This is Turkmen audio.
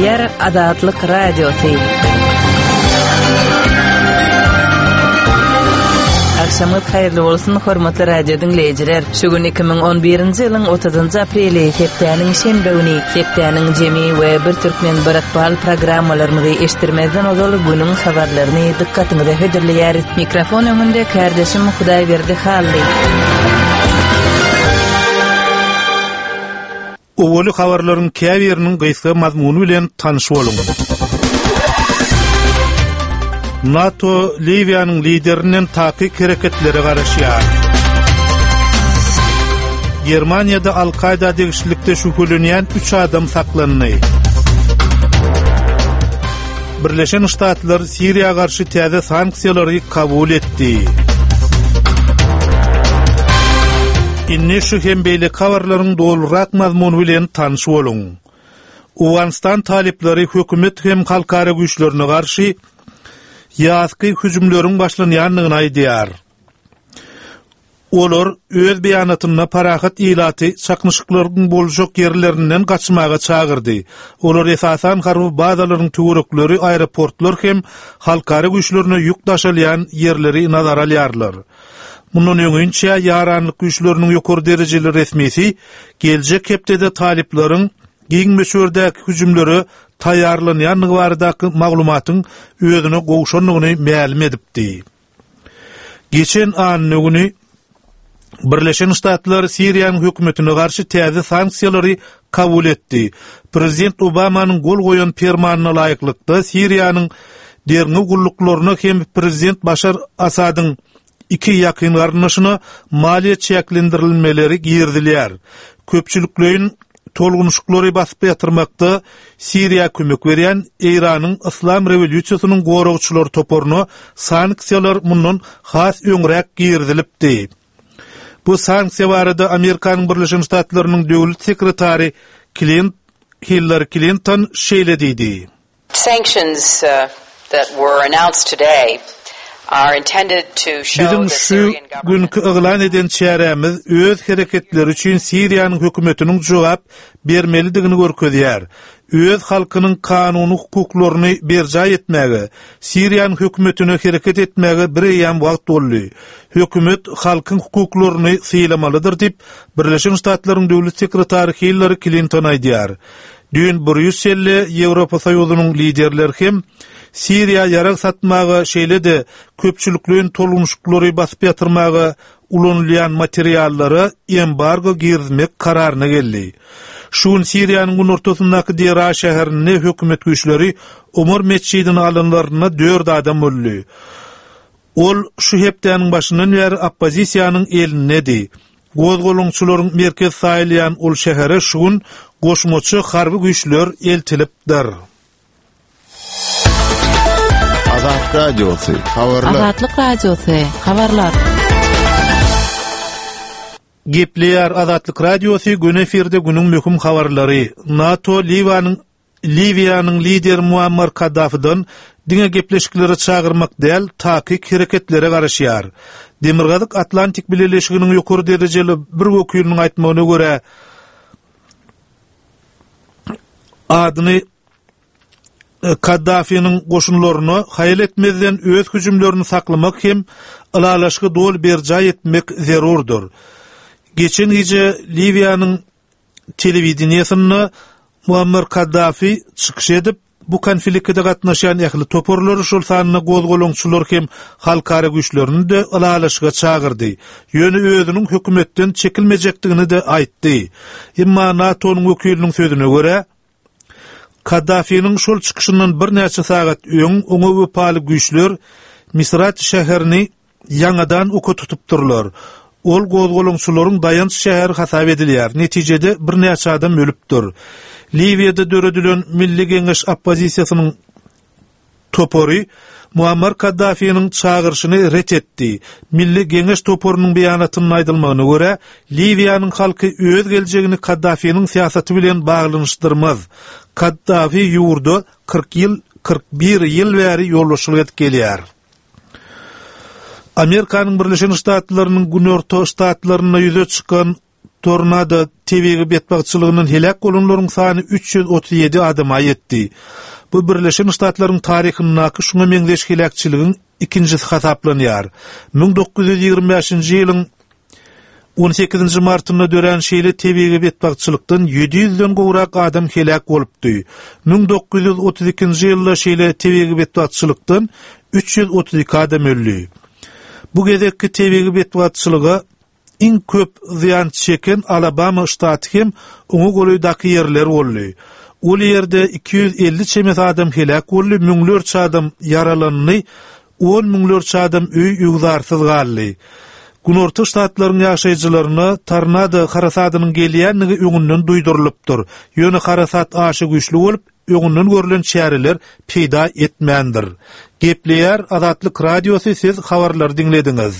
Gepleýär Azatlyk Radiosy. Agşamyňyz haýyrly bolsun, hormatly radio diňleýjiler. Şu gün 2011-nji ýylyň 30-njy apreli, hepdäniň şenbe güni, hepdäniň jemi we Bir türkmen bir ykbal programmalarymyzy eşitdirmezden ozal günüň habarlaryny dykgatyňyza hödürleýäris. Mikrofon öňünde kärdeşim Hudaýberdi Hally. Owaly habarlaryň käbiriniň gysga mazmuny bilen tanyş boluň. NATO Liwiýanyň liderinden takyk hereketlere garaşýar. Germaniýada Al-Kaýda degişlilikde şübhelenýän üç adam saklandy. Birleşen Ştatlar Siriýa garşy täze sanksiýalary kabul etdi. Indi şu hem beýleki habarlaryň dolurak mazmuny bilen tanyş boluň. Owganystan talyplary hökümet hem halkara güýçlerine garşy ýazky hüjümleriň başlanýandygyny aýdýar. Olar öz beýanatynda parahat ilaty çaknyşyklaryň boljak ýerlerinden gaçmaga çagyrdy. Olar esasan harby bazalaryň töwerekleri, aeroportlar hem halkara güýçlerine ýük daşalýan ýerleri nazara alýarlar. Mundan öňinçä ýaranlyk güýçleriniň ýokary derejeli resmisi geljek hepdede talyplaryň giň möçberdäki hüjümlere taýýarlanýandygy baradaky maglumatyň özüne gowşandygyny mälim edipdi. Geçen anna güni Birleşen Ştatlar Siriýanyň hökümetine garşy täze sanksiýalary kabul etdi. Prezident Obamanyň gol goýan permanyna laýyklykda Siriýanyň derňew gulluklaryna hem prezident Başar Asadyň iki ýakyn garyndaşyna maliýe çäklendirilmeleri girizilýär. Köpçülikleýin Tolgunyşyklary basyp ýatyrmakda Siriýa kömek berýän Eýranyň Yslam rewolýusiýasynyň goragçylary toparyna sanksiýalar mundan has öňräk girizilipdi. Bu sanksiýa barada Amerikanyň Birleşen Ştatlarynyň döwlet sekretary Klint Hillari Klinton şeýle diýdi. Sanctions that were announced today are intended to show Biziň the şu Syrian government günki yglan eden çärämiz öz hereketleri üçin Siriýanyň hökümetiniň jogap bermelidigini görkezýär. Öz halkynyň kanuny hukuklaryny berjaý etmäge, Siriýanyň hökümetine hereket etmäge bireýýäm wagt boldy. Hökümet halkyň hukuklaryny sylamalydyr diýip, Birleşen Ştatlaryň döwlet sekretary Hillari Klinton aýdýar. Düýn Brýusselde Ýewropa Soýuzynyň liderleri hem Siriýa ýarag satmaga, şeýle-de köpçülikleýin tolgunyşyklary basyp ýatyrmaga ulanylýan materiallara embargo girizmek kararyna geldi. Şu gün Siriýanyň günortasyndaky Deraa şäherinde hökümet güýçleri Omar metjidini alanlarynda dört adam öldi. Ol şu hepdäniň başyndan bäri oppozisiýanyň elindedi. Gozgalaňçylaryň merkezi saýylýan ol şähere şu gün goşmaça harby güýçler eltilipdir. Azat Radiosy, habarlar. Azatlyk Radiosy, habarlar. Gepleýär Azatlyk Radiosy, göni efirde günüň möhüm habarlary. NATO Liwanyň Liwiýanyň lideri Muammar Kaddafiden diňe gepleşiklere çagyrmak däl, takyk hereketlere garaşýar. Demirgazyk Atlantik Bileleşiginiň ýokary derejeli bir wekiliniň aýtmagyna görä, adyny Kaddafiniň goşunlaryna haýal etmezden öz hüjümlerini saklamak hem ylalaşygy doly berjaý etmek zerurdyr. Geçen gije Liwiýanyň telewideniýesinde Muammar Kaddafi çykyş edip, bu konflikte gatnaşýan ähli toparlary, şol sanda gozgalaňçylar hem halkara güýçlerini-de ylalaşyga çagyrdy. Ýöne özüniň hökümetden çekilmejekdigini-de aýtdy. Emma NATO-nyň wekiliniň sözüne görä, Kaddafiniň şol çykyşyndan birnäçe sagat öň oňa wepaly güýçler Misrat şäherini ýaňadan oka tutupdyrlar. Ol gozgalaňçylaryň daýanç şäheri hasap edilýär. Netijede birnäçe adam ölüpdir. Liwiýada döredilen Milli Geňeş oppozisiýasynyň topary Muammar Kaddafiniň çagyryşyny ret etdi. Milli Geňeş toparynyň beýanatynda aýdylmagyna görä, Liwiýanyň halky öz geljegini Kaddafiniň syýasaty bilen baglanyşdyrmaz. Kaddafi ýurda 40 ýyl, 41 ýyl bäri ýolbaşçylyk edip gelýär. Amerikanyň Birleşen Ştatlarynyň günorta ştatlarynda ýüze çykan. Tornado tebigy betbagtçylygyndan heläk bolanlaryň sany 337 adama ýetdi. Bu Birleşen Ştatlaryň taryhyndaky şuňa meňzeş heläkçiligiň ikinjisi hasaplanýar. 1925-nji ýylyň on sekizinji martynda dörän şeýle tebigy betbagtçylykdan ýedi ýüzden gowrak adam heläk bolupdy. 1932-nji ýylda şeýle tebigy betbagtçylykdan 332 adam öldi. Bu gezekki tebigy betbagtçylyga Iň köp zyýan çeken Alabama ştaty hem oňa golaýdaky ýerler boldy. Ol ýerde 250 çemesi adam heläk boldy, müňlerçe adam ýaralandy, on müňlerçe adam öý-öwzarsyz galdy. Günorta ştatlaryň ýaşaýjylaryna tornado harasadynyň gelýändigi öňünden duýdurylypdyr. Ýöne harasat aşa güýçli bolup, öňünden görlen çäreler peýda etmändir. Gepleýär Azatlyk Radiosy siz habarlary diňlediňiz.